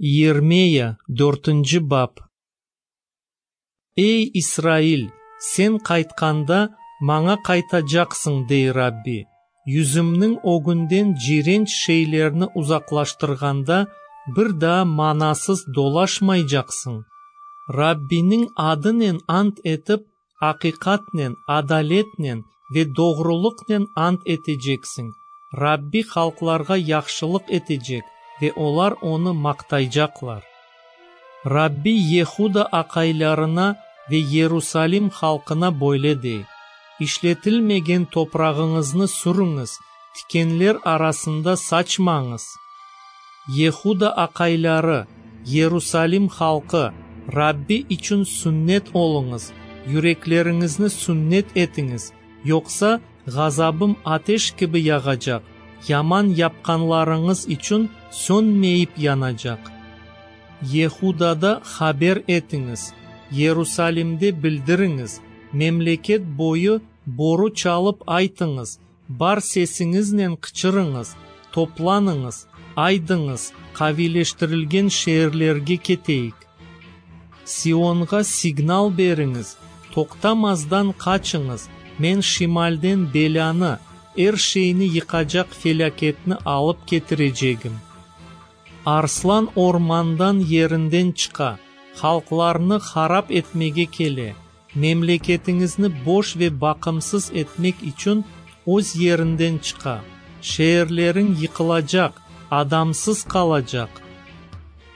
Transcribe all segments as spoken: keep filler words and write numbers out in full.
Yirmiya, dörtünci bap. Ey, İsrail, sen qaytqanda, maña qaytacaqsıñ, dey Rabbi. Yüzümniñ ögünden ciyrenç şeylerni uzaqlaştırğanda, bir daa manasız dolaşmaycaqsıñ. Rabbiniñ adınen ant etip, aqiqatnen, adaletnen ve doğrulıqnen ant eteceksiñ. Rabbi halqlarğa yahşılıq etecek, ve olar Onı maqtaycaqlar. Rabbi Yehuda aqaylarına ve Yerusalim halqına böyle dey: İşletilmegen toprağıñıznı sürüñiz, tikenler arasında saçmañız. Yehuda aqayları, Yerusalim halqı, Rabbi içün sünnet oluñız, yürekleriñizni sünnet etiñiz, yoqsa ğazabım ateş kibi yağacaq, yaman yapqanlarıñız içün sönmeyip yanacaq. Yehudada haber etiñiz, Yerusalimde bildiriñiz, memleket boyu boru çalıp aytıñız, bar sesiñiznen qıçırıñız: Toplanıñız, aydıñız, qaviyleştirilgen şeerlerge keteyik. Sionğa signal beriñiz, toqtamazdan qaçıñız, men şimalden belânı, er şeyni yıqacaq felâketni alıp ketirecegim. Arslan ormandan yerinden çıqa, halqlarnı harap etmege kele, memleketiñizni boş ve baqımsız etmek içün öz yerinden çıqa. Şeerleriñ yıqılacaq, adamsız qalacaq.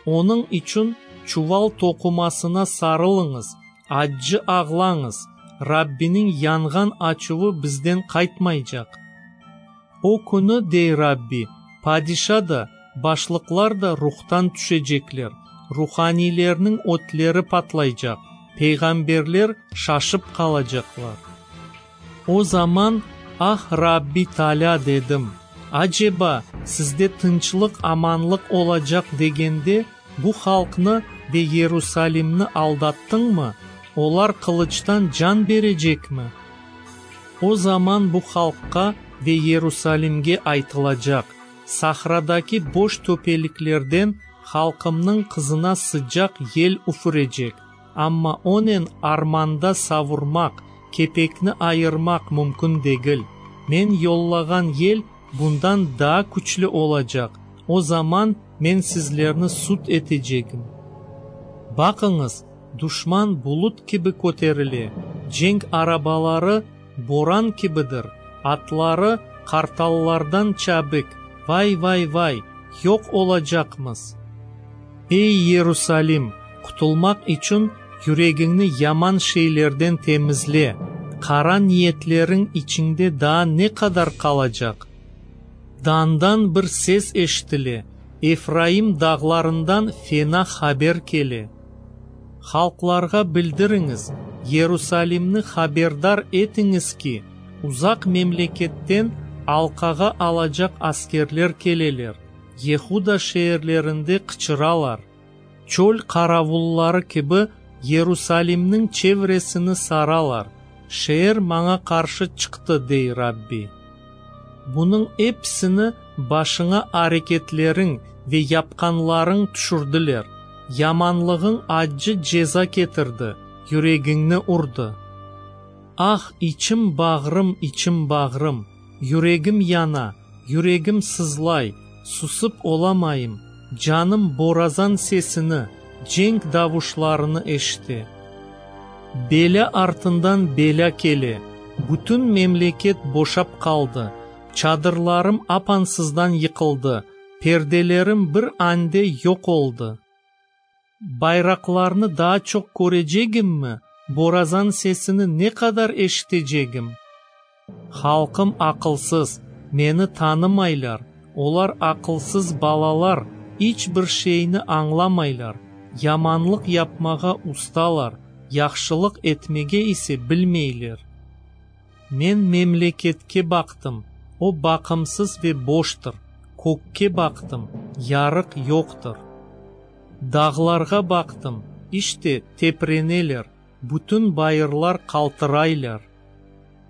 Onıñ içün çuval toqumasına sarılıñız, accı ağlañız, Rabbiniñ yanğan açuvı bizden qaytmaycaq. O künü, dey Rabbi, padişa da, başlıqlar da ruhtan tüşecekler, ruhaniylerniñ ötleri patlaycaq, peyğamberler şaşıp qalacaqlar. O zaman, Ah, Rabbi Taalâ, dedim, aceba, sizde tınçlıq-amanlıq olacaq degende, bu halqnı ve Yerusalimni aldattıñmı? Olar qılıçtan can berecekmi? O zaman bu halqqa ve Yerusalimge aytılacaq: Sahradaki boş töpeliklerden halqımnıñ qızına sıcaq yel üfürecek, amma onen armanda savurmaq, kepekni ayırmaq mümkün degil. Men yollağan yel bundan daa küçlü olacaq, o zaman men sizlerni sud etecegim. Baqıñız, duşman bulut kibi köterile, cenk arabaları boran kibidir, atları qartallardan çabik, vay-vay-vay, yoq olacaqmız! Ey, Yerusalim, qutulmaq içün yüregiñni yaman şeylerden temizle, qara niyetleriñ içiñde daa ne qadar qalacaq? Dandan bir ses eşitile, Efraim dağlarından fena haber kele. Halqlarğa bildiriñiz, Yerusalimni haberdar etiñiz ki, uzaq memleketten alqağa alacaq askerler keleler, Yehuda şeerlerinde qıçıralar. Çöl qaravulları kibi Yerusalimniñ çevresini saralar. Şeer maña qarşı çıqtı, dey Rabbi. Bunıñ episini başıña areketleriñ ve yapqanlarıñ tüşürdiler. Yamanlığıñ accı ceza ketirdi, yüregiñni urdı. Ah, içim-bağrım, içim-bağrım, yüregim yana, yüregim sızlay, susıp olamayım, canım borazan sesini, cenk davuşlarını eşite. Belâ artından belâ kele, bütün memleket boşap qaldı, çadırlarım apansızdan yıqıldı, perdelerim bir ande yoq oldı. Bayraqlarnı daa çoq körecegimmi, borazan sesini ne qadar eşitecegim? Halqım aqılsız, meni tanımaylar, olar aqılsız balalar, iç bir şeyni añlamaylar, yamanlıq yapmağa ustalar, yahşılıq etmege ise bilmeyler. Men memleketke baqtım, o baqımsız ve boştır, kökke baqtım, yarıq yoqtır. Dağlarğa baqtım, işte tepreneler, bütün bayırlar qaltıraylar.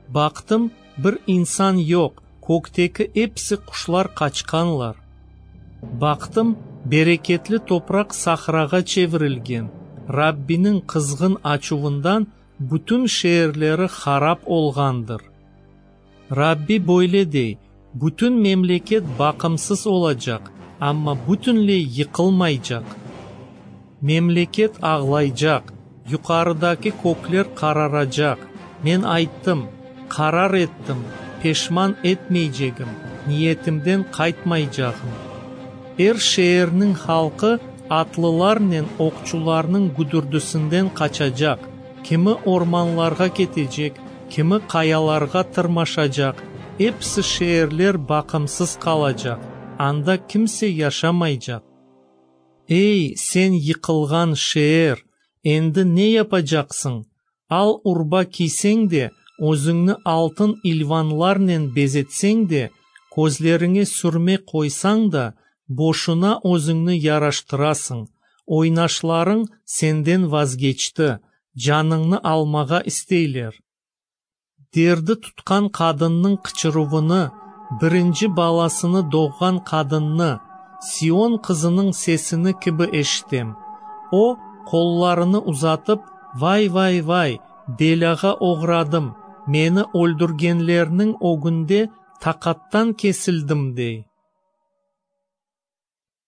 Baqtım, bir insan yoq, kökteki episi quşlar qaçqanlar. Baqtım, Bereketli topraq sahrağa çevirilgen, Rabbiniñ qızğın açuvından bütün şeerleri harap olğandır. Rabbi böyle dey: Bütün memleket baqımsız olacaq, amma bütünley yıqılmaycaq. Memleket ağlaycaq, yuqarıdaki kökler qararacaq. Men ayttım, qarar ettim, peşman etmeycegim, niyetimden qaytmaycağım. Er şeerniñ halqı atlılarnen oqçularnıñ güdürdisinden qaçacaq, kimi ormanlarğa ketecek, kimi qayalarğa tırmaşacaq, episi şeerler baqımsız qalacaq, anda kimse yaşamaycaq. Ey, sen yıqılğan şeer, endi ne yapacaqsıñ? Al urba kiyseñ de, özüñni altın ilvanlarnen bezetseñ de, közleriñe sürme qoysañ da, boşuna özüñni yaraştırasıñ. Oynaşlarıñ senden vazgeçti, canıñnı almağa isteyler. Derdi tutqan qadınnıñ qıçıruvını, birinci balasını doğğan qadınnı, Sion qızınıñ sesini kibi eşitem. O, qollarını uzatıp, Vay-vay-vay, belâğa oğradım, meni öldürgenlerniñ ögünde taqattan kesildim, dey.